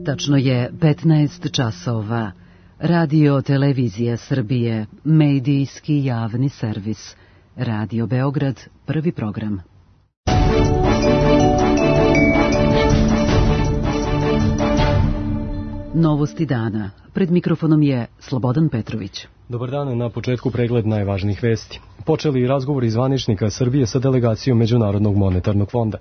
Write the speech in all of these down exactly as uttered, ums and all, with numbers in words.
Tačno je petnaest časova. Radio Televizija Srbije, medijski javni servis. Radio Beograd, prvi program. Novosti dana. Pred mikrofonom je Slobodan Petrović. Dobar dan, na početku pregled najvažnijih vesti. Počeli razgovori zvaničnika Srbije sa delegacijom Međunarodnog monetarnog fonda.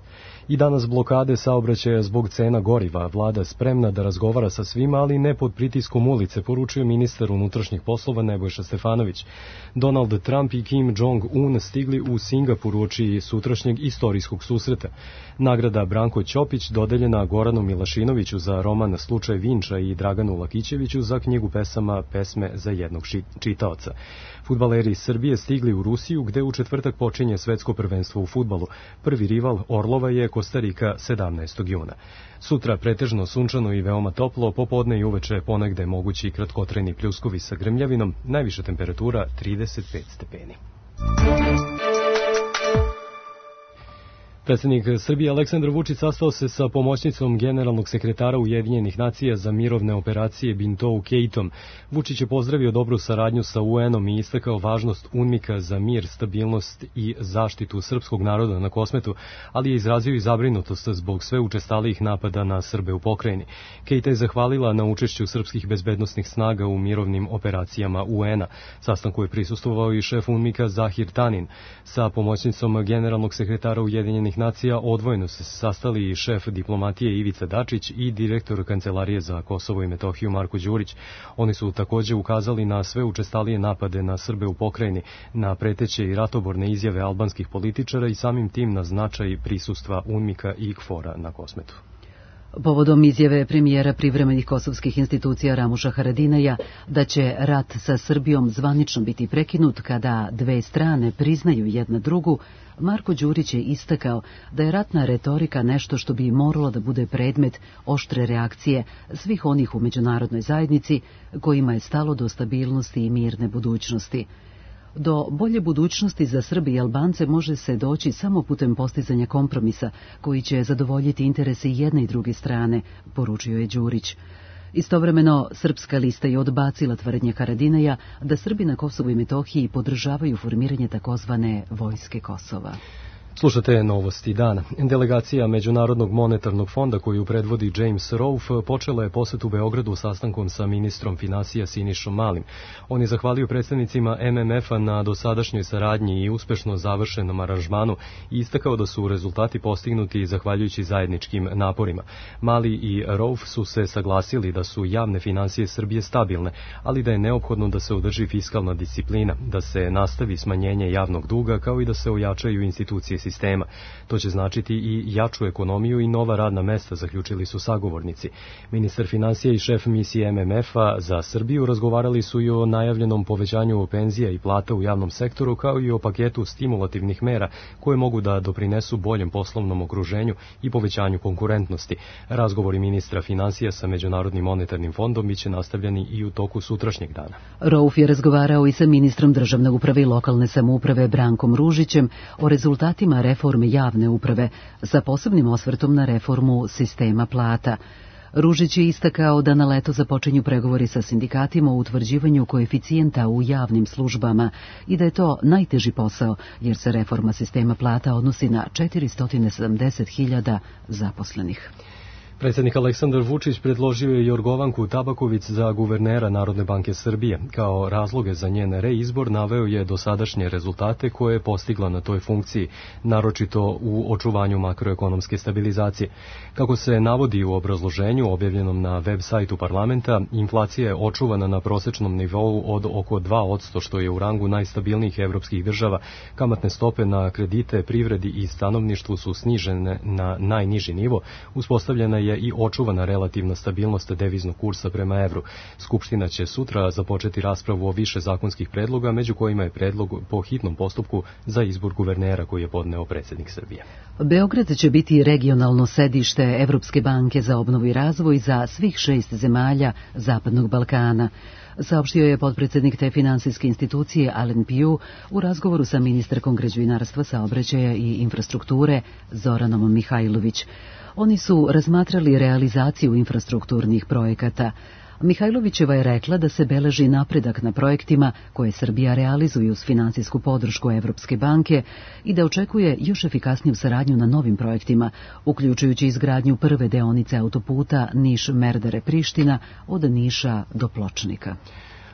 I danas blokade saobraćaja zbog cena goriva. Vlada spremna da razgovara sa svima, ali ne pod pritiskom ulice, poručuje ministar unutrašnjih poslova Nebojša Stefanović. Donald Trump i Kim Jong-un stigli u Singapur uoči sutrašnjeg istorijskog susreta. Nagrada Branko Ćopić dodeljena Goranu Milašinoviću za roman Slučaj Vinča i Draganu Lakićeviću za knjigu pesama Pesme za jednog čitaoca. Fudbaleri Srbije stigli u Rusiju, gde u četvrtak počinje svetsko prvenstvo u fudbalu. Prvi rival Orlova je Kostarika sedamnaestog juna. Sutra pretežno sunčano i veoma toplo, popodne i uveče ponegde mogući kratkotrajni pljuskovi sa grmljavinom, najviša temperatura trideset pet stepeni. Predsjednik Srbije Aleksandar Vučić sastao se sa pomoćnicom generalnog sekretara Ujedinjenih nacija za mirovne operacije Bintou Keitom. Vučić je pozdravio dobru saradnju sa U N-om i istakao važnost UNMIK-a za mir, stabilnost i zaštitu srpskog naroda na Kosmetu, ali je izrazio i zabrinutost zbog sve učestalijih napada na Srbe u pokrajini. Keita je zahvalila na učešću srpskih bezbednosnih snaga u mirovnim operacijama U N-a. Sastanku je prisustvovao i šef UNMIK-a Zahir Tanin. Sa pomoćnicom generalnog sekretara Ujedinjenih nacija odvojeno se sastali i šef diplomatije Ivica Dačić i direktor Kancelarije za Kosovo i Metohiju Marko Đurić. Oni su takođe ukazali na sve učestalije napade na Srbe u pokrajini, na preteće i ratoborne izjave albanskih političara i samim tim na značaj prisustva UNMIK-a i K F O R-a na Kosmetu. Povodom izjave premijera privremenih kosovskih institucija Ramuša Haradinaja da će rat sa Srbijom zvanično biti prekinut kada dve strane priznaju jedna drugu, Marko Đurić je istakao da je ratna retorika nešto što bi moralo da bude predmet oštre reakcije svih onih u međunarodnoj zajednici kojima je stalo do stabilnosti i mirne budućnosti. Do bolje budućnosti za Srbe i Albance može se doći samo putem postizanja kompromisa koji će zadovoljiti interese jedne i druge strane, poručio je Đurić. Istovremeno, Srpska lista je odbacila tvrdnje Haradinaja da Srbi na Kosovu i Metohiji podržavaju formiranje takozvane Vojske Kosova. Slušate novosti dana. Delegacija Međunarodnog monetarnog fonda koju predvodi James Rolfe počela je posetu Beogradu sastankom sa ministrom finansija Sinišom Malim. On je zahvalio predstavnicima M M F-a na dosadašnjoj saradnji i uspešno završenom aranžmanu i istakao da su rezultati postignuti zahvaljujući zajedničkim naporima. Mali i Rolfe su se saglasili da su javne finansije Srbije stabilne, ali da je neophodno da se održi fiskalna disciplina, da se nastavi smanjenje javnog duga kao i da se ojačaju institucije sistema. To će značiti i jaču ekonomiju i nova radna mesta, zaključili su sagovornici. Ministar finansija i šef misije M M F-a za Srbiju razgovarali su i o najavljenom povećanju penzija i plata u javnom sektoru, kao i o paketu stimulativnih mera koje mogu da doprinesu boljem poslovnom okruženju i povećanju konkurentnosti. Razgovori ministra finansija sa Međunarodnim monetarnim fondom biće nastavljeni i u toku sutrašnjeg dana. Rauf je razgovarao i sa ministrom državne uprave i lokalne samouprave Brankom Ružićem o rezultatima reforme javne uprave sa posebnim osvrtom na reformu sistema plata. Ružić je istakao da na leto započinju pregovori sa sindikatima o utvrđivanju koeficijenta u javnim službama i da je to najteži posao jer se reforma sistema plata odnosi na četiristo sedamdeset hiljada zaposlenih. Predsjednik Aleksandar Vučić predložio je Jorgovanku Tabaković za guvernera Narodne banke Srbije. Kao razloge za njen reizbor naveo je dosadašnje rezultate koje je postigla na toj funkciji, naročito u očuvanju makroekonomske stabilizacije. Kako se navodi u obrazloženju objavljenom na web sajtu parlamenta, inflacija je očuvana na prosečnom nivou od oko dva posto, što je u rangu najstabilnijih evropskih država. Kamatne stope na kredite, privredi i stanovništvu su snižene na najniži nivo, uspostavljena je je i očuvana relativna stabilnost deviznog kursa prema evru. Skupština će sutra započeti raspravu o više zakonskih predloga, među kojima je predlog po hitnom postupku za izbor guvernera koji je podneo predsjednik Srbije. Beograd će biti regionalno sedište Evropske banke za obnovu i razvoj za svih šest zemalja Zapadnog Balkana. saopštio je potpredsednik te finansijske institucije Alen Piju u razgovoru sa ministarkom građevinarstva, saobraćaja i infrastrukture Zoranom Mihajlović. Oni su razmatrali realizaciju infrastrukturnih projekata. Mihajlovićeva je rekla da se beleži napredak na projektima koje Srbija realizuje uz finansijsku podršku Evropske banke i da očekuje još efikasniju saradnju na novim projektima, uključujući izgradnju prve deonice autoputa Niš-Merdare-Priština od Niša do Pločnika.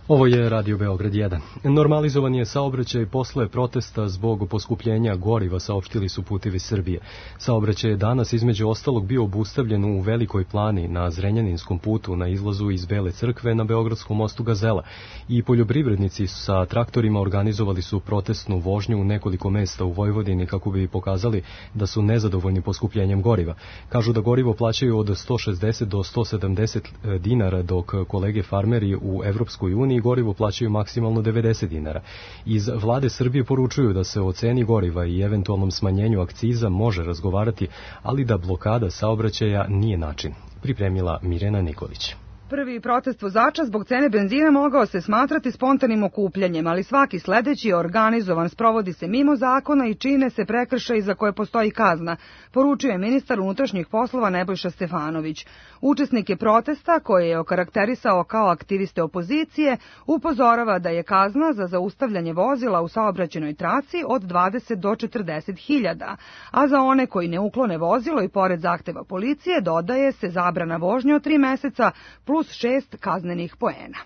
Ovo je Radio Beograd jedan. Normalizovan je saobraćaj posle protesta zbog poskupljenja goriva, saopštili su Putevi Srbije. Saobraćaj je danas između ostalog bio obustavljen u Velikoj Plani na Zrenjaninskom putu na izlazu iz Bele crkve na Beogradskom mostu Gazela. I poljoprivrednici sa traktorima organizovali su protestnu vožnju u nekoliko mesta u Vojvodini kako bi pokazali da su nezadovoljni poskupljenjem goriva. Kažu da gorivo plaćaju od sto šezdeset do sto sedamdeset dinara, dok kolege farmeri u Evropskoj uniji i gorivo plaćaju maksimalno devedeset dinara. Iz vlade Srbije poručuju da se o ceni goriva i eventualnom smanjenju akciza može razgovarati, ali da blokada saobraćaja nije način. Pripremila Mirena Nikolić. Prvi protest vozača zbog cene benzina mogao se smatrati spontanim okupljanjem, ali svaki sledeći je organizovan, sprovodi se mimo zakona i čine se prekršaji za koje postoji kazna, poručio je ministar unutrašnjih poslova Nebojša Stefanović. Učesnike protesta, koje je okarakterisao kao aktiviste opozicije, upozorava da je kazna za zaustavljanje vozila u saobraćajnoj traci od dvadeset do četrdeset hiljada, a za one koji ne uklone vozilo i pored zahteva policije dodaje se zabrana vožnje od tri meseca plus šest kaznenih poena.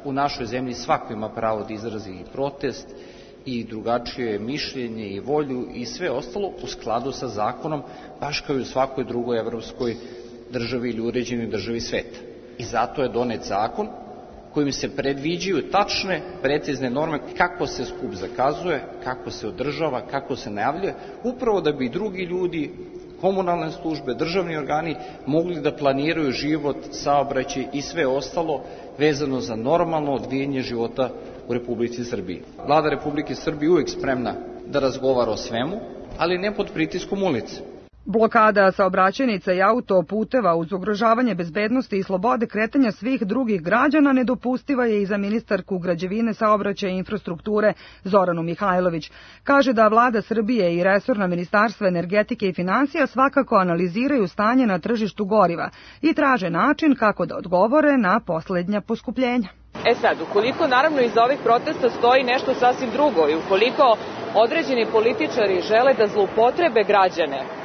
U našoj zemlji svako ima pravo da izrazi i protest i drugačije mišljenje i volju i sve ostalo u skladu sa zakonom, baš kao i u svakoj drugoj evropskoj državi ili uređenoj državi sveta. I zato je donet zakon kojim se predviđaju tačne, precizne norme kako se skup zakazuje, kako se održava, kako se najavljuje, upravo da bi drugi ljudi, komunalne službe, državni organi mogli da planiraju život, saobraćaj i sve ostalo vezano za normalno odvijanje života u Republici Srbiji. Vlada Republike Srbije uvijek spremna da razgovara o svemu, ali ne pod pritiskom ulice. Blokada saobraćajnica i autoputeva uz ugrožavanje bezbednosti i slobode kretanja svih drugih građana nedopustiva je i za ministarku građevine, saobraćaja i infrastrukture Zoranu Mihajlović. Kaže da vlada Srbije i resorna ministarstva energetike i finansija svakako analiziraju stanje na tržištu goriva i traže način kako da odgovore na poslednja poskupljenja. E sad, ukoliko naravno iza ovih protesta stoji nešto sasvim drugo i ukoliko određeni političari žele da zloupotrebe građane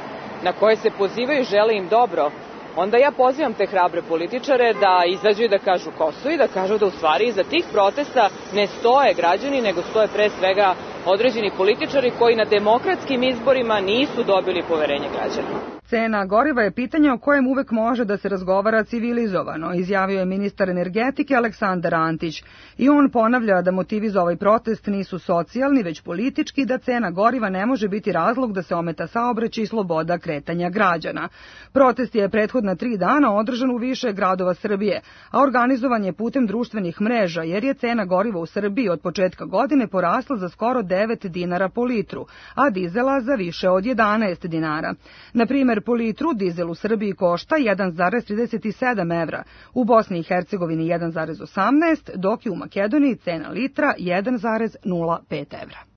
na koje se pozivaju i žele im dobro, onda ja pozivam te hrabre političare da izađu i da kažu ko su i da kažu da u stvari iza tih protesta ne stoje građani, nego stoje pre svega određeni političari koji na demokratskim izborima nisu dobili poverenje građana. Cena goriva je pitanje o kojem uvek može da se razgovara civilizovano, izjavio je ministar energetike Aleksandar Antić. I on ponavlja da motivi za ovaj protest nisu socijalni, već politički, da cena goriva ne može biti razlog da se ometa saobraćaj i sloboda kretanja građana. Protest je prethodna tri dana održan u više gradova Srbije, a organizovan je putem društvenih mreža, jer je cena goriva u Srbiji od početka godine porasla za skoro devet dinara po litru, a dizela za više od jedanaest dinara. Na primer, po litru dizel u Srbiji košta jedan zarez trideset sedam evra, u Bosni i Hercegovini jedan zarez osamnaest, dok je u Makedoniji cena litra jedan zarez nula pet evra.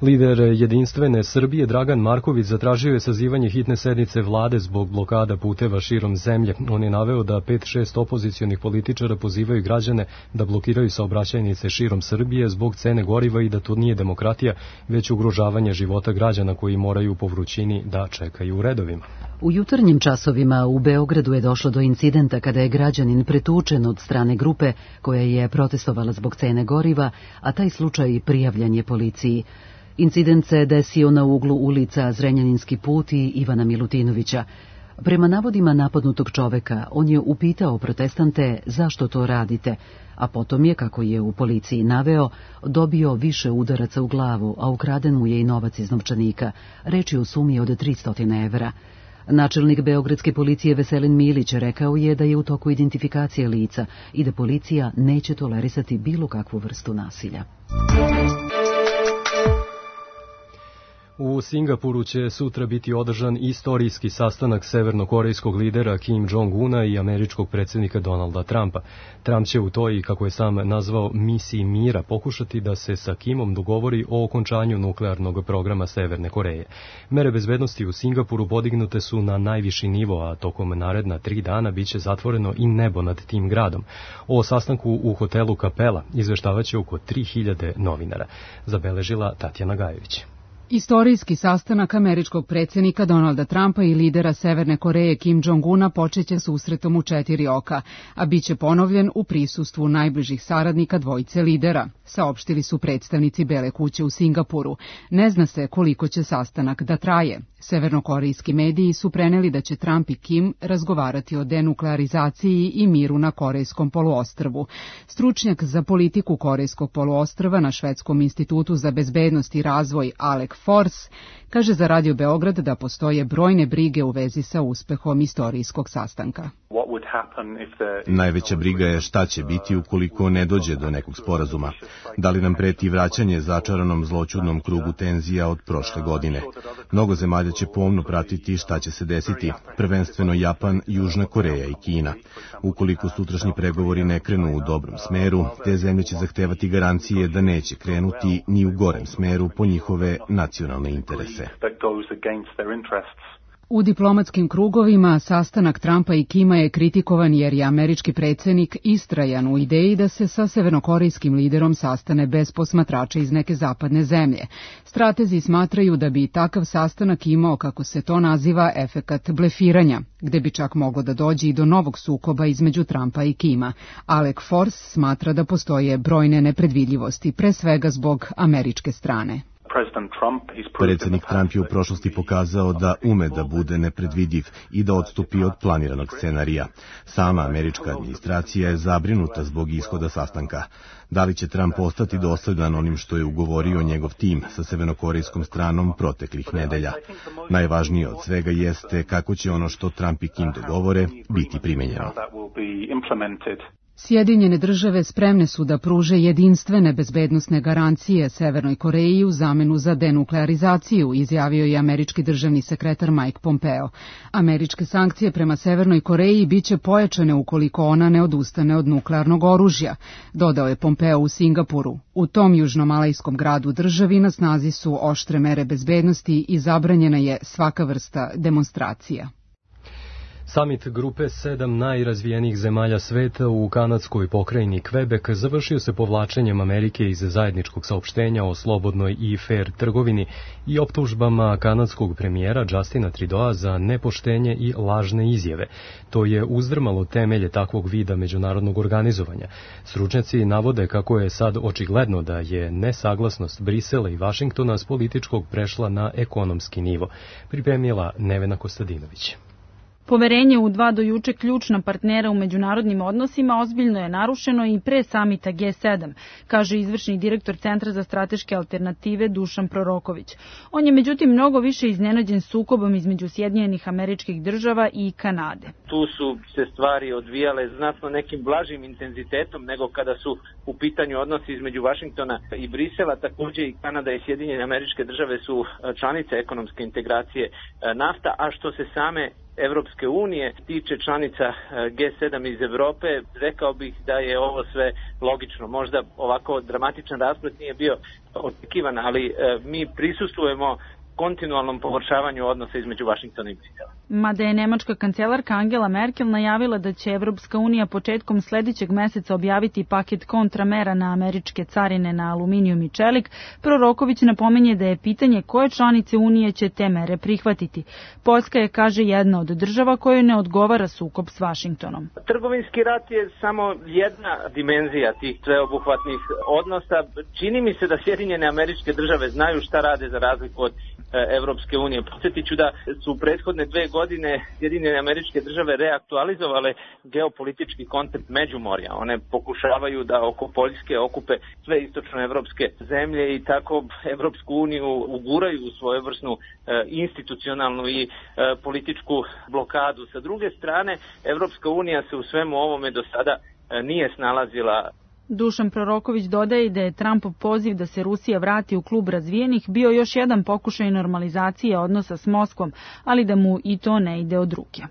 Lider Jedinstvene Srbije Dragan Marković zatražio je sazivanje hitne sednice vlade zbog blokada puteva širom zemlje. On je naveo da pet šest opozicionih političara pozivaju građane da blokiraju saobraćajnice širom Srbije zbog cene goriva i da to nije demokratija, već ugrožavanje života građana koji moraju po vrućini da čekaju u redovima. U jutarnjim časovima u Beogradu je došlo do incidenta kada je građanin pretučen od strane grupe koja je protestovala zbog cene goriva, a taj slučaj prijavljen je policiji. Incident se desio na uglu ulica Zrenjaninski put i Ivana Milutinovića. Prema navodima napadnutog čoveka, on je upitao protestante zašto to radite, a potom je, kako je u policiji naveo, dobio više udaraca u glavu, a ukraden mu je i novac iz novčanika, reč je o sumi od tristo evra. Načelnik beogradske policije Veselin Milić rekao je da je u toku identifikacije lica i da policija neće tolerisati bilo kakvu vrstu nasilja. U Singapuru će sutra biti održan istorijski sastanak severnokorejskog lidera Kim Jong-una i američkog predsjednika Donalda Trumpa. Trump će u toj, kako je sam nazvao, misiji mira pokušati da se sa Kimom dogovori o okončanju nuklearnog programa Severne Koreje. Mere bezbednosti u Singapuru podignute su na najviši nivo, a tokom naredna tri dana biće zatvoreno i nebo nad tim gradom. O sastanku u hotelu Kapela izveštavaće oko tri hiljade novinara, zabeležila Tatjana Gajević. Istorijski sastanak američkog predsjednika Donalda Trumpa i lidera Severne Koreje Kim Jong-una počeće susretom u četiri oka, a bit će ponovljen u prisustvu najbližih saradnika dvojice lidera, saopštili su predstavnici Bele kuće u Singapuru. Ne zna se koliko će sastanak da traje. Severnokorejski mediji su preneli da će Trump i Kim razgovarati o denuklearizaciji i miru na Korejskom poluostrvu. Stručnjak za politiku Korejskog poluostrva na Švedskom institutu za bezbednost i razvoj Alec Force kaže za Radio Beograd da postoje brojne brige u vezi sa uspehom istorijskog sastanka. Najveća briga je šta će biti ukoliko ne dođe do nekog sporazuma. Da li nam preti vraćanje začaranom zloćudnom krugu tenzija od prošle godine? Mnogo zemalja će pomno pratiti šta će se desiti, prvenstveno Japan, Južna Koreja i Kina. Ukoliko sutrašnji pregovori ne krenu u dobrom smeru, te zemlje će zahtevati garancije da neće krenuti ni u gorem smeru po njihove nacionalne interese. U diplomatskim krugovima sastanak Trumpa i Kima je kritikovan jer je američki predsjednik istrajan u ideji da se sa severnokorejskim liderom sastane bez posmatrača iz neke zapadne zemlje. Stratezi smatraju da bi takav sastanak imao, kako se to naziva, efekat blefiranja, gde bi čak moglo da dođe i do novog sukoba između Trumpa i Kima. Alec Force smatra da postoje brojne nepredvidljivosti, pre svega zbog američke strane. Predsjednik Trump je u prošlosti pokazao da ume da bude nepredvidiv i da odstupi od planiranog scenarija. Sama američka administracija je zabrinuta zbog ishoda sastanka. Da li će Trump ostati dosledan onim što je ugovorio njegov tim sa severnokorejskom stranom proteklih nedelja? Najvažnije od svega jeste kako će ono što Trump i Kim dogovore biti primenjeno. Sjedinjene države spremne su da pruže jedinstvene bezbednosne garancije Severnoj Koreji u zamenu za denuklearizaciju, izjavio je američki državni sekretar Mike Pompeo. Američke sankcije prema Severnoj Koreji biće pojačane ukoliko ona ne odustane od nuklearnog oružja, dodao je Pompeo u Singapuru. U tom južnomalajskom gradu državi na snazi su oštre mere bezbednosti i zabranjena je svaka vrsta demonstracija. Samit grupe sedam najrazvijenijih zemalja sveta u kanadskoj pokrajini Quebec završio se povlačenjem Amerike iz zajedničkog saopštenja o slobodnoj i fair trgovini i optužbama kanadskog premijera Justina Trudeau za nepoštenje i lažne izjave. To je uzdrmalo temelje takvog vida međunarodnog organizovanja. Stručnjaci navode kako je sad očigledno da je nesaglasnost Brisela i Vašingtona s političkog prešla na ekonomski nivo, pripremila Nevena Kostadinović. Poverenje u dva do juče ključna partnera u međunarodnim odnosima ozbiljno je narušeno i pre samita G sedam, kaže izvršni direktor Centra za strateške alternative Dušan Proroković. On je međutim mnogo više iznenađen sukobom između Sjedinjenih Američkih Država i Kanade. Tu su se stvari odvijale znatno nekim blažim intenzitetom nego kada su u pitanju odnosi između Vašingtona i Brisela. Također i Kanada i Sjedinjene Američke Države su članice ekonomske integracije nafta, a što se same Evropske unije tiče članica G sedam iz Evrope, rekao bih da je ovo sve logično. Možda ovako dramatičan rasplet nije bio očekivan, ali mi prisustvujemo kontinualnom pogoršavanju odnosa između Vašingtona i Brisela. Mada je nemačka kancelarka Angela Merkel najavila da će Evropska unija početkom sljedećeg meseca objaviti paket kontramera na američke carine na aluminijum i čelik, Proroković napominje da je pitanje koje članice unije će te mere prihvatiti. Poljska je, kaže, jedna od država kojoj ne odgovara sukob s Vašingtonom. Trgovinski rat je samo jedna dimenzija tih sveobuhvatnih odnosa. Čini mi se da Sjedinjene Američke Države znaju šta rade za razliku od Evropske unije. Podsjetit ću da su u prethodne dve godine Sjedinjene Američke Države reaktualizovale geopolitički koncept Međumorja. One pokušavaju da oko Poljske okupe sve istočnoevropske zemlje i tako Evropsku uniju uguraju u svojevrsnu e, institucionalnu i e, političku blokadu. Sa druge strane, Evropska unija se u svemu ovome do sada e, nije snalazila Dušan Proroković dodaje da je Trumpov poziv da se Rusija vrati u klub razvijenih bio još jedan pokušaj normalizacije odnosa s Moskvom, ali da mu i to ne ide od ruke.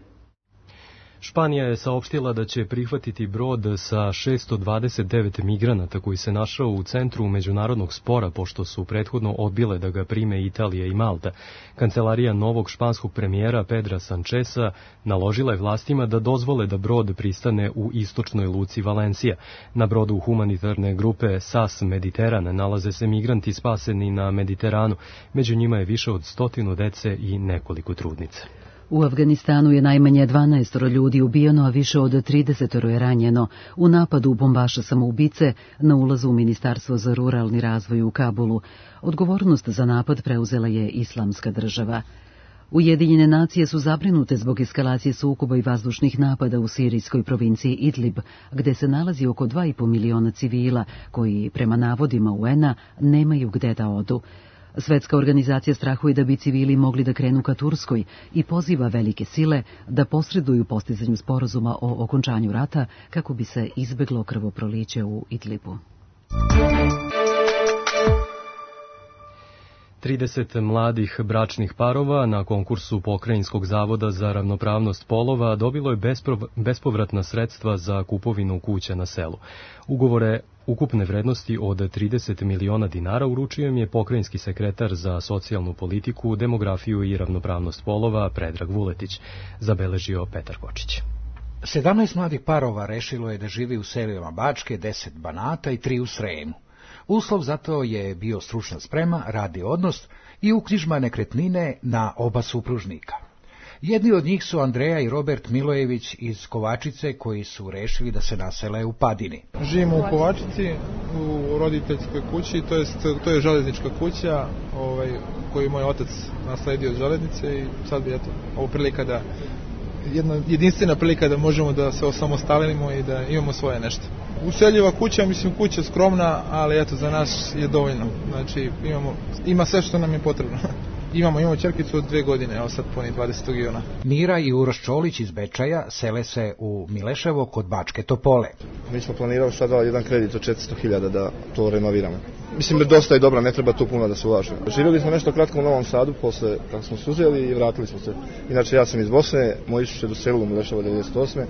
Španija je saopštila da će prihvatiti brod sa šesto dvadeset devet migranata koji se našao u centru međunarodnog spora pošto su prethodno odbile da ga prime Italija i Malta. Kancelarija novog španskog premijera Pedra Sancheza naložila je vlastima da dozvole da brod pristane u istočnoj luci Valencija. Na brodu humanitarne grupe S A S Mediteran nalaze se migranti spaseni na Mediteranu. Među njima je više od stotinu dece i nekoliko trudnica. U Afganistanu je najmanje dvanaest ljudi ubijeno, a više od trideset je ranjeno u napadu bombaša samoubice na ulazu u Ministarstvo za ruralni razvoj u Kabulu. Odgovornost za napad preuzela je Islamska država. Ujedinjene nacije su zabrinute zbog eskalacije sukoba i vazdušnih napada u sirijskoj provinciji Idlib, gde se nalazi oko dva i po miliona civila koji, prema navodima U N-a, nemaju gde da odu. Svetska organizacija strahuje da bi civili mogli da krenu ka Turskoj i poziva velike sile da posreduju postizanju sporazuma o okončanju rata kako bi se izbeglo krvoproliće u Idlibu. trideset mladih bračnih parova na konkursu Pokrajinskog zavoda za ravnopravnost polova dobilo je bespovratna sredstva za kupovinu kuća na selu. Ugovore ukupne vrednosti od trideset miliona dinara uručio im je pokrajinski sekretar za socijalnu politiku, demografiju i ravnopravnost polova Predrag Vuletić, zabeležio Petar Kočić. sedamnaest mladih parova rešilo je da živi u selima Bačke, deset Banata i tri u Sremu. Uslov za to je bio stručna sprema, radni odnos i uknjižba nekretnine na oba supružnika. Jedni od njih su Andreja i Robert Milojević iz Kovačice, koji su rešili da se nasele u Padini. Živimo u Kovačici, u roditeljskoj kući, to jest, to je železnička kuća ovaj, koju moj otac nasledio od železnice i sad bi eto, ovo prilika da, jedna jedinstvena prilika da možemo da se osamostalimo i da imamo svoje nešto. Useljiva kuća, mislim kuća skromna, ali eto za nas je dovoljno. Znači imamo, ima sve što nam je potrebno. Imamo, imamo ćerkicu od dve godine, evo sad puni dvadesetog juna. Mira i Uroš Čolić iz Bečaja sele se u Mileševo kod Bačke Topole. Mi smo planirali sada jedan kredit od četiristo hiljada da to renoviramo. Mislim da dosta je dobra, ne treba tu puno da se ulaže. Živjeli smo nešto kratko u Novom Sadu, posle kako smo se uzeli i vratili smo se. Inače ja sam iz Bosne, moj Isus je doselio u Mileševo devedeset osme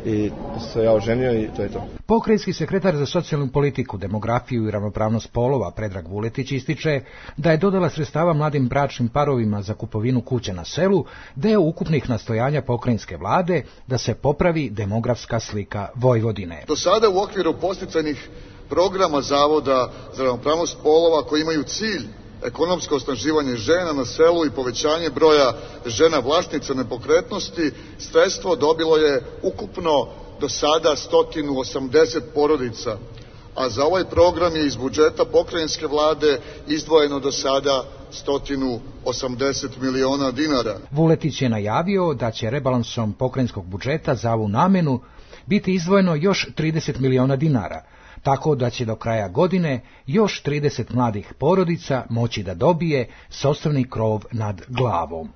i se ja oženio i to je to. Pokrajinski sekretar za socijalnu politiku, demografiju i ravnopravnost polova Predrag Vuletić ističe da je dodala sredstava mladim bračnim parovima za kupovinu kuća na selu, deo ukupnih nastojanja pokrajinske vlade da se popravi demografska slika Vojvodine. Do sada u okviru podsticajnih programa Zavoda za ravnopravnost polova koji imaju cilj ekonomsko osnaživanje žena na selu i povećanje broja žena vlasnica nepokretnosti, sredstvo dobilo je ukupno do sada sto osamdeset porodica, a za ovaj program je iz budžeta pokrajinske vlade izdvojeno do sada sto osamdeset miliona dinara. Vuletić je najavio da će rebalansom pokrajinskog budžeta za ovu namenu biti izdvojeno još trideset miliona dinara, tako da će do kraja godine još trideset mladih porodica moći da dobije sopstveni krov nad glavom.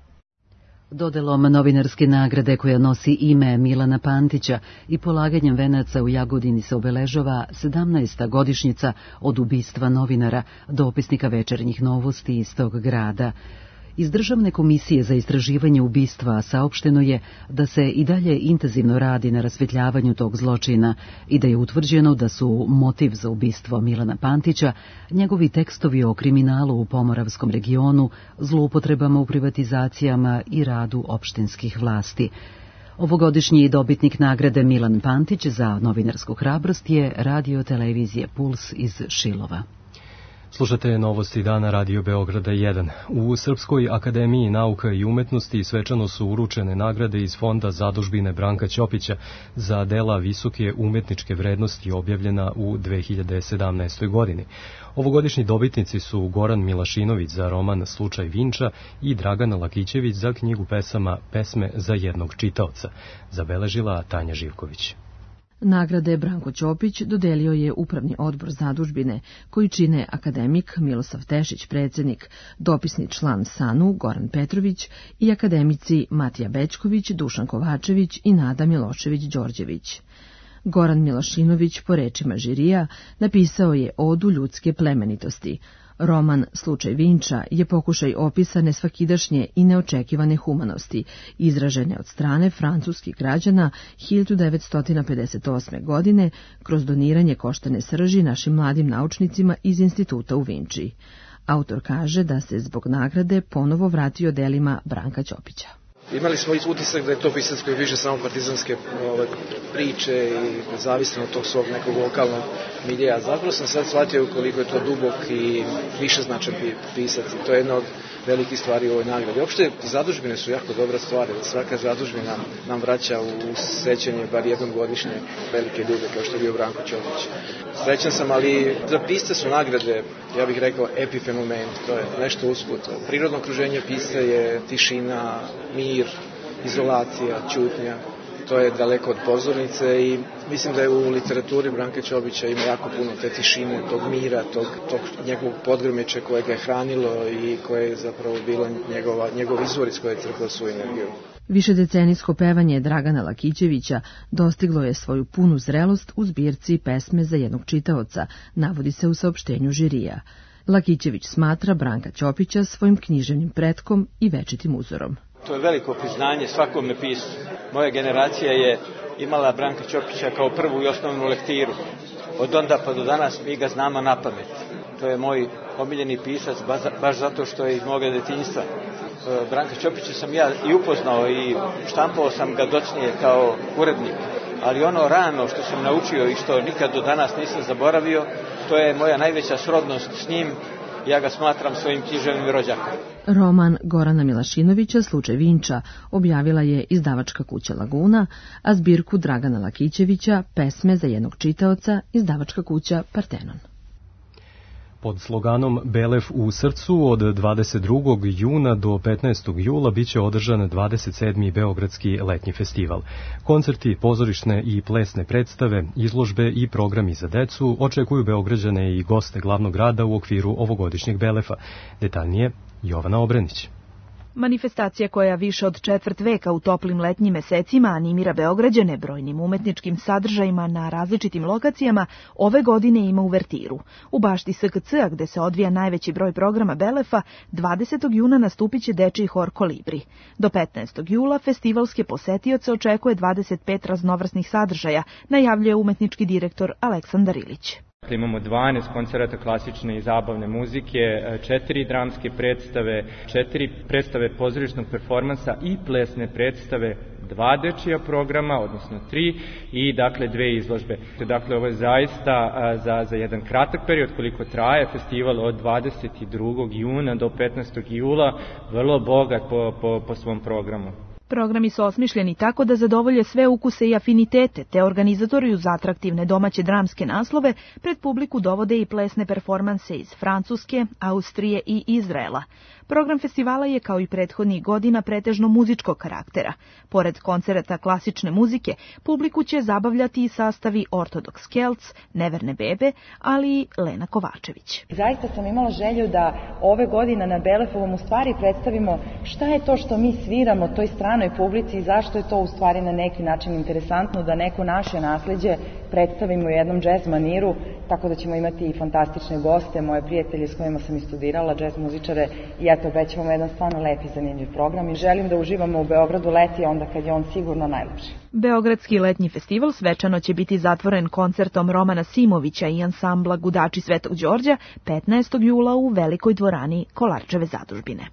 Dodelom novinarske nagrade koja nosi ime Milana Pantića i polaganjem venaca u Jagodini se obeležava sedamnaesta godišnjica od ubistva novinara, dopisnika Večernjih novosti iz tog grada. Iz Državne komisije za istraživanje ubistva saopšteno je da se i dalje intenzivno radi na rasvetljavanju tog zločina i da je utvrđeno da su motiv za ubistvo Milana Pantića njegovi tekstovi o kriminalu u Pomoravskom regionu, zloupotrebama u privatizacijama i radu opštinskih vlasti. Ovogodišnji dobitnik nagrade Milan Pantić za novinarsku hrabrost je radio televizije Puls iz Šilova. Slušate novosti dana Radio Beograda jedan. U Srpskoj akademiji nauka i umetnosti svečano su uručene nagrade iz fonda zadužbine Branka Ćopića za dela visoke umetničke vrednosti objavljena u dve hiljade sedamnaestoj. godini. Ovogodišnji dobitnici su Goran Milašinović za roman Slučaj Vinča i Dragana Lakićević za knjigu pesama Pesme za jednog čitaoca, zabeležila Tanja Živković. Nagrade Branko Ćopić dodelio je Upravni odbor zadužbine, koji čine akademik Milosav Tešić, predsjednik, dopisni član SANU Goran Petrović i akademici Matija Bećković, Dušan Kovačević i Nada Milošević-Đorđević. Goran Milošinović, po rečima žirija, napisao je Odu ljudske plemenitosti. Roman Slučaj Vinča je pokušaj opisa nesvakidašnje i neočekivane humanosti, izražene od strane francuskih građana hiljadu devetsto pedeset osme. godine kroz doniranje koštane srži našim mladim naučnicima iz instituta u Vinči. Autor kaže da se zbog nagrade ponovo vratio delima Branka Ćopića. Imali smo utisak da je to pisac koji piše samo partizanske ove, priče i nezavisno od tog svog nekog lokalnog milija. Zapravo sam sad shvatio koliko je to dubok i višeznačan pisac i to je jedna od velikih stvari u ovoj nagradi. Uopšte, zadužbine su jako dobra stvar, svaka zadužbina nam vraća u sećanje bar jednom godišnje velike ljude kao što je bio Branko Ćopić. Srećan sam, ali za pisce su nagrade, ja bih rekao, epifenomen, to je nešto usput. Prirodno okruženje pisca je tišina, mir, izolacija, ćutnja. To je daleko od pozornice i mislim da je u literaturi Branka Ćopića ima jako puno te tišine, tog mira, tog, tog njegovog podgrmeća koje ga je hranilo i koje je zapravo bilo njegova, njegov izvor iz koje je crpao svoju energiju. Višedecenijsko pevanje Dragana Lakićevića dostiglo je svoju punu zrelost u zbirci Pesme za jednog čitaoca, navodi se u saopštenju žirija. Lakićević smatra Branka Ćopića svojim književnim pretkom i večitim uzorom. To je veliko priznanje svakome piscu. Moja generacija je imala Branka Ćopića kao prvu i osnovnu lektiru. Od onda pa do danas mi ga znamo na pamet. To je moj omiljeni pisac, baš zato što je iz moga detinjstva. Branka Ćopića sam ja i upoznao i štampao sam ga docnije kao urednik. Ali ono rano što sam naučio i što nikad do danas nisam zaboravio, to je moja najveća srodnost s njim. Ja ga smatram svojim književnim rođakom. Roman Gorana Milošinovića Slučaj Vinča objavila je izdavačka kuća Laguna, a zbirku Dragana Lakićevića Pesme za jednog čitaoca izdavačka kuća Partenon. Pod sloganom Belev u srcu od dvadeset drugog juna do petnaestog jula biće održan dvadeset sedmi Beogradski letnji festival. Koncerti, pozorišne i plesne predstave, izložbe i programi za decu očekuju Beograđane i goste glavnog grada u okviru ovogodišnjeg Belefa. Detaljnije Jovana Obrenić. Manifestacija koja više od četvrt veka u toplim letnjim mesecima animira Beograđane brojnim umetničkim sadržajima na različitim lokacijama, ove godine ima uvertiru. U bašti S K C-a, gde se odvija najveći broj programa Belefa, dvadesetog juna nastupit će dečiji hor Kolibri. Do petnaestog jula festivalske posetioce očekuje dvadeset pet raznovrsnih sadržaja, najavljuje umetnički direktor Aleksandar Ilić. Imamo dvanaest koncerata klasične i zabavne muzike, četiri dramske predstave, četiri predstave pozorišnog performansa i plesne predstave, dva dečija programa, odnosno tri, i dakle dve izložbe. Dakle, ovo je zaista za, za jedan kratak period koliko traje festival od dvadeset drugog juna do petnaestog jula, vrlo bogat po, po, po svom programu. Programi su osmišljeni tako da zadovolje sve ukuse i afinitete, te organizatori uz atraktivne domaće dramske naslove pred publiku dovode i plesne performanse iz Francuske, Austrije i Izraela. Program festivala je kao i prethodnih godina pretežno muzičkog karaktera. Pored koncerata klasične muzike, publiku će zabavljati i sastavi Ortodoks Kelc, Neverne bebe, ali i Lena Kovačević. Zaista sam imala želju da ove godine na Belefovom u stvari predstavimo šta je to što mi sviramo toj stranoj publici i zašto je to u stvari na neki način interesantno da neko naše nasleđe predstavimo u jednom džez maniru, tako da ćemo imati i fantastične goste, moje prijatelje s kojima sam i studirala, džez muzičare, i eto, obećavamo jedan stvarno lep i zanimljiv program i želim da uživamo u Beogradu leti onda kad je on sigurno najlepši. Beogradski letnji festival svečano će biti zatvoren koncertom Romana Simovića i ansambla Gudači Svetog Đorđa petnaestog jula u velikoj dvorani Kolarčeve zadužbine.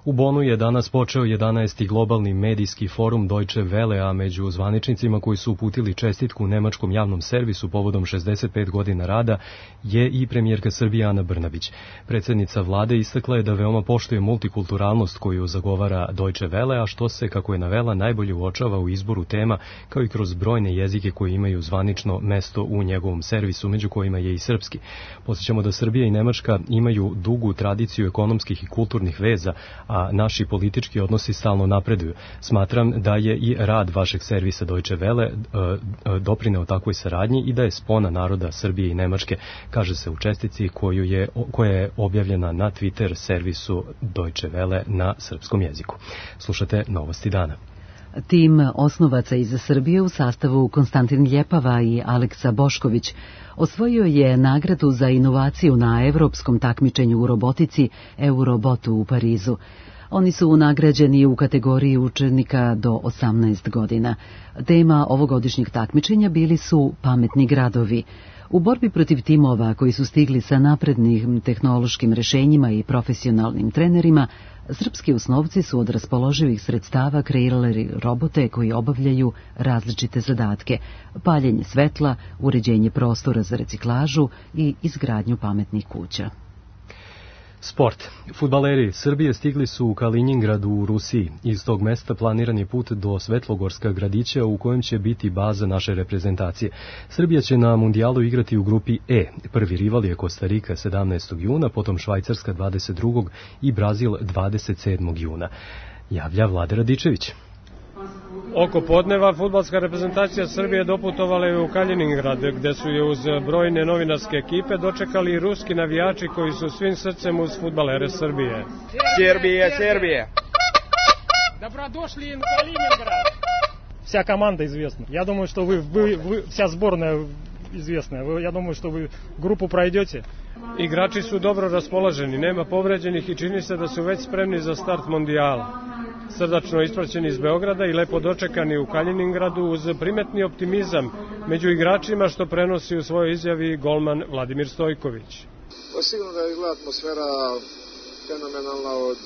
U Bonu je danas počeo jedanaesti globalni medijski forum Deutsche Welle, a među zvaničnicima koji su uputili čestitku nemačkom javnom servisu povodom šezdeset pet godina rada je i premijerka Srbije Ana Brnabić. Predsjednica vlade istakla je da veoma poštuje multikulturalnost koju zagovara Deutsche Welle, a što se, kako je navela, najbolje uočava u izboru tema, kao i kroz brojne jezike koji imaju zvanično mesto u njegovom servisu, među kojima je i srpski. Podsjećamo da Srbija i Nemačka imaju dugu tradiciju ekonomskih i kulturnih veza, a naši politički odnosi stalno napreduju. Smatram da je i rad vašeg servisa Deutsche Welle doprineo takvoj saradnji i da je spona naroda Srbije i Nemačke, kaže se u čestici koju je, koja je objavljena na Twitter servisu Deutsche Welle na srpskom jeziku. Slušate Novosti dana. Tim osnovaca iz Srbije u sastavu Konstantin Ljepava i Aleksa Bošković osvojio je nagradu za inovaciju na evropskom takmičenju u robotici Eurobotu u Parizu. Oni su nagrađeni u kategoriji učenika do osamnaest godina. Tema ovogodišnjeg takmičenja bili su pametni gradovi. U borbi protiv timova koji su stigli sa naprednim tehnološkim rešenjima i profesionalnim trenerima, srpski osnovci su od raspoloživih sredstava kreirali robote koji obavljaju različite zadatke: paljenje svetla, uređenje prostora za reciklažu i izgradnju pametnih kuća. Sport. Fudbaleri Srbije stigli su u Kaliningrad u Rusiji. Iz tog mesta planiran je put do Svetlogorska gradića u kojem će biti baza naše reprezentacije. Srbija će na mundijalu igrati u grupi E. Prvi rival je Kostarika sedamnaestog juna, potom Švajcarska dvadeset drugog i Brazil dvadeset sedmog juna. Javlja Vlade Radičević. Oko podneva fudbalska reprezentacija Srbije doputovala je u Kaliningrad, gde su je uz brojne novinarske ekipe dočekali i ruski navijači koji su svim srcem uz fudbalere Srbije. Serbije, Serbije! Добродошли в Калининград! Вся команда известна. Я думаю, что вы, вы, вы вся сборная известная. Вы, я думаю, что вы группу пройдете. Igrači su dobro raspoloženi, nema povređenih i čini se da su već spremni za start mondijala. Srdačno ispraćeni iz Beograda i lepo dočekani u Kaliningradu uz primetni optimizam među igračima, što prenosi u svojoj izjavi golman Vladimir Stojković. Pa sigurno da je izgleda atmosfera fenomenalna od,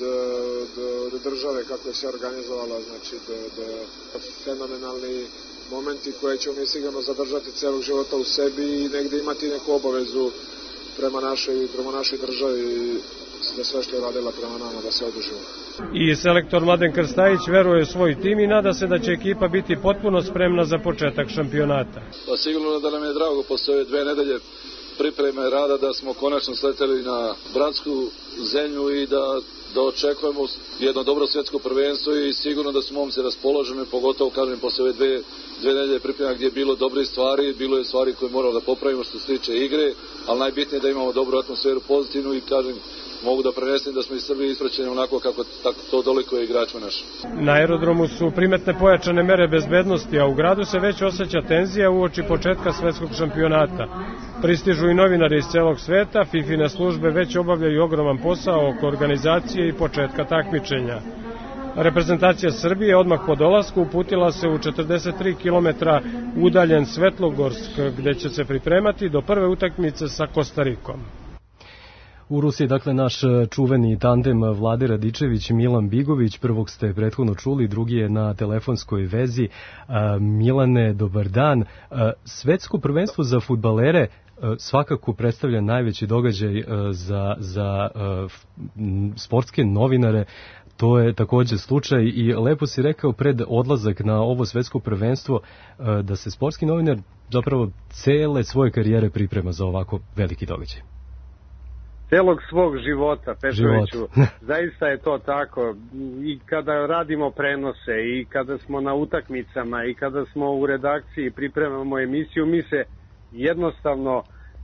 od, od države, kako je se organizovala, znači do, do fenomenalni momenti koje ćemo mi sigurno zadržati celog života u sebi i negde imati neku obavezu prema našoj, prema našoj državi da sve što je radila prema nama da se odužimo. I selektor Mladen Krstajić veruje u svoj tim i nada se da će ekipa biti potpuno spremna za početak šampionata. Pa sigurno da nam je drago posle ove dve nedelje pripreme rada da smo konačno sleteli na bratsku zemlju i da, da očekujemo jedno dobro svjetsko prvenstvo i sigurno da su momci raspoloženi, pogotovo kažem posle ove dve, dve nedelje priprema gdje je bilo dobre stvari, bilo je stvari koje moramo da popravimo što se tiče igre, ali najbitnije je da imamo dobru atmosferu, pozitivnu i kažem mogu da prenesem da smo iz Srbije ispraćeni onako kako tako to dolikuje igračima naši. Na aerodromu su primetne pojačane mere bezbednosti, a u gradu se već osjeća tenzija uoči početka svetskog šampionata. Pristižu i novinari iz celog sveta, fifine službe već obavljaju ogroman posao oko organizacije i početka takmičenja. Reprezentacija Srbije odmah po dolasku uputila se u četrdeset tri kilometra udaljen Svetlogorsk, gde će se pripremati do prve utakmice sa Kostarikom. U Rusiji, dakle, naš čuveni tandem Vlade Radičević i Milan Bigović, prvog ste prethodno čuli, drugi je na telefonskoj vezi. Milane, dobar dan. Svetsko prvenstvo za fudbalere svakako predstavlja najveći događaj za, za sportske novinare. To je također slučaj i lepo si rekao pred odlazak na ovo svetsko prvenstvo da se sportski novinar zapravo cele svoje karijere priprema za ovako veliki događaj. Celog svog života, Petroviću, zaista je to tako. I kada radimo prenose, i kada smo na utakmicama, i kada smo u redakciji pripremamo emisiju, mi se jednostavno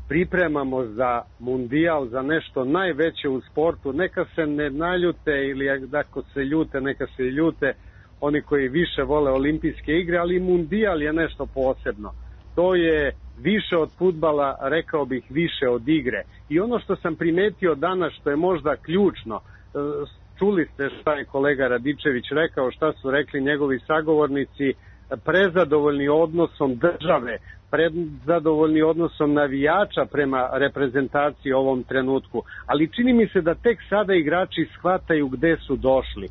pripremamo za mundijal, za nešto najveće u sportu. Neka se ne naljute ili ako se ljute, neka se ljute oni koji više vole olimpijske igre, ali mundijal je nešto posebno. To je više od fudbala, rekao bih više od igre. I ono što sam primetio danas, što je možda ključno, čuli ste šta je kolega Radičević rekao, šta su rekli njegovi sagovornici, prezadovoljni odnosom države, prezadovoljni odnosom navijača prema reprezentaciji u ovom trenutku. Ali čini mi se da tek sada igrači shvataju gde su došli.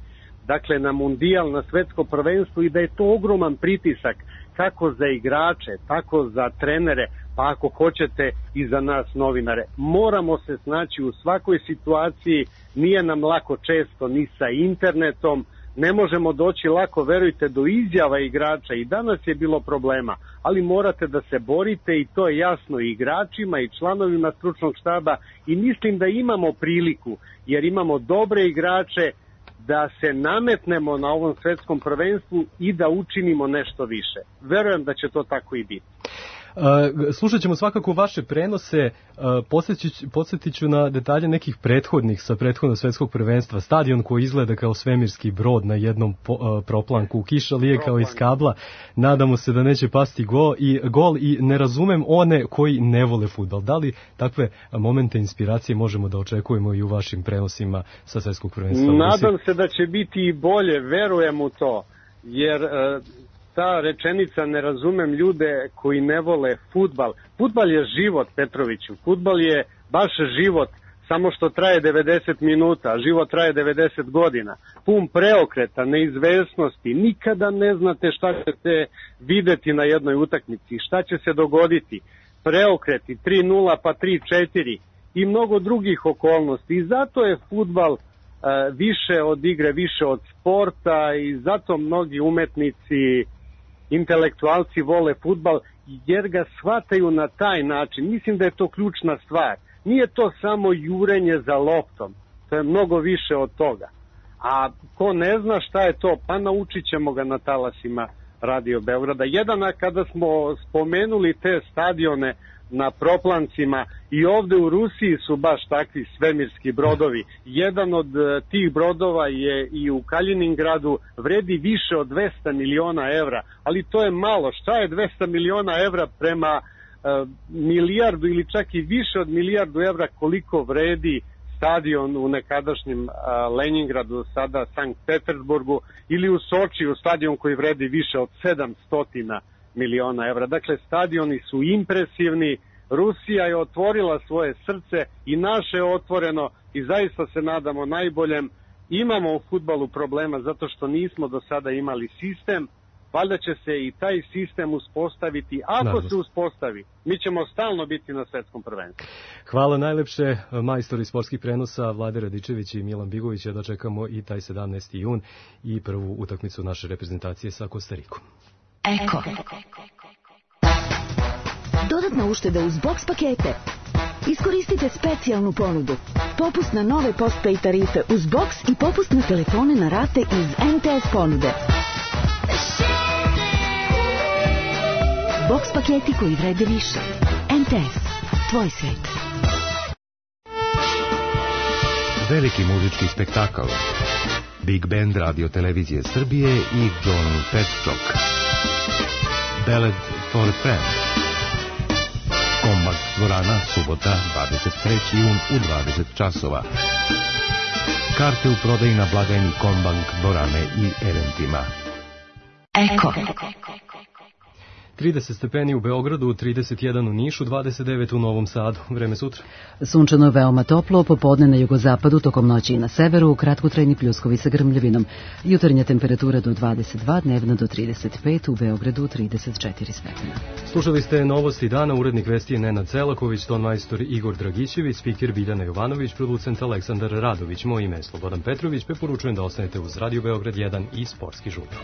Dakle, na mundijal, na svetsko prvenstvo i da je to ogroman pritisak kako za igrače, tako za trenere, pa ako hoćete i za nas novinare. Moramo se snaći u svakoj situaciji, nije nam lako često ni sa internetom, ne možemo doći lako, verujte, do izjava igrača i danas je bilo problema, ali morate da se borite i to je jasno i igračima i članovima stručnog štaba i mislim da imamo priliku, jer imamo dobre igrače, da se nametnemo na ovom svetskom prvenstvu i da učinimo nešto više. Verujem da će to tako i biti. Slušat ćemo svakako vaše prenose, podsjetit ću na detalje nekih prethodnih sa prethodnog svetskog prvenstva. Stadion koji izgleda kao svemirski brod na jednom proplanku, kiša lije kao iz kabla, nadamo se da neće pasti gol i, gol i ne razumem one koji ne vole fudbal. Da li takve momente inspiracije možemo da očekujemo i u vašim prenosima sa svetskog prvenstva? Nadam se da će biti i bolje, verujem u to, jer ta rečenica ne razumem ljude koji ne vole fudbal. Fudbal je život, Petroviću. Fudbal je baš život, samo što traje devedeset minuta, a život traje devedeset godina. Pun preokreta, neizvesnosti, nikada ne znate šta ćete videti na jednoj utakmici, šta će se dogoditi. Preokreti, tri nula pa tri četiri i mnogo drugih okolnosti. I zato je fudbal više od igre, više od sporta i zato mnogi umetnici, intelektualci vole fudbal jer ga shvataju na taj način. Mislim da je to ključna stvar. Nije to samo jurenje za loptom, to je mnogo više od toga. A ko ne zna šta je to, pa naučit ćemo ga na talasima Radio Beograda. Jedan, a kada smo spomenuli te stadione na proplancima, i ovde u Rusiji su baš takvi svemirski brodovi. Jedan od tih brodova je i u Kaliningradu, vredi više od dvesta miliona evra, ali to je malo. Šta je dvesta miliona evra prema uh, milijardu ili čak i više od milijardu evra koliko vredi stadion u nekadašnjem uh, Leningradu, sada Sankt Petersburgu, ili u Sočiju stadion koji vredi više od sedamsto miliona evra. Dakle, stadioni su impresivni, Rusija je otvorila svoje srce i naše je otvoreno i zaista se nadamo najboljem. Imamo u fudbalu problema zato što nismo do sada imali sistem, valjda će se i taj sistem uspostaviti. Ako Naravno. se uspostavi, mi ćemo stalno biti na svetskom prvenstvu. Hvala najlepše, majstori sportskih prenosa Vlade Radičević i Milan Bigović, da čekamo i taj sedamnaesti jun i prvu utakmicu naše reprezentacije sa Kostarikom. Eko. Dodatna ušteda uz box pakete. Iskoristite specijalnu ponudu. Popust na nove postpay tarife uz box i popust na telefone na rate iz en te es ponude. Box paketi koji vrede više. en te es. Tvoj svet. Veliki muzički spektakl. Big Band Radio Televizije Srbije i John Petchok. Ballad for a Friend. Kombak dvorana, subota, dvadeset treći jun u dvadeset časova. Karte u prodaji na blagajni Kombank dvorane i eventima. Eko. trideset stepeni u Beogradu, trideset jedan u Nišu, dvadeset devet u Novom Sadu. Vreme sutra. Sunčano je veoma toplo, popodne na jugozapadu, tokom noći i na severu, kratkotrajni pljuskovi sa grmljavinom. Jutarnja temperatura do dvadeset dva, dnevna do trideset pet, u Beogradu trideset četiri stepena. Slušali ste novosti dana, urednik vesti je Nenad Celaković, tonmajstor Igor Dragićević, spiker Biljana Jovanović, producent Aleksandar Radović, moje ime je Slobodan Petrović, preporučujem da ostanete uz Radio Beograd jedan i Sportski žurnal.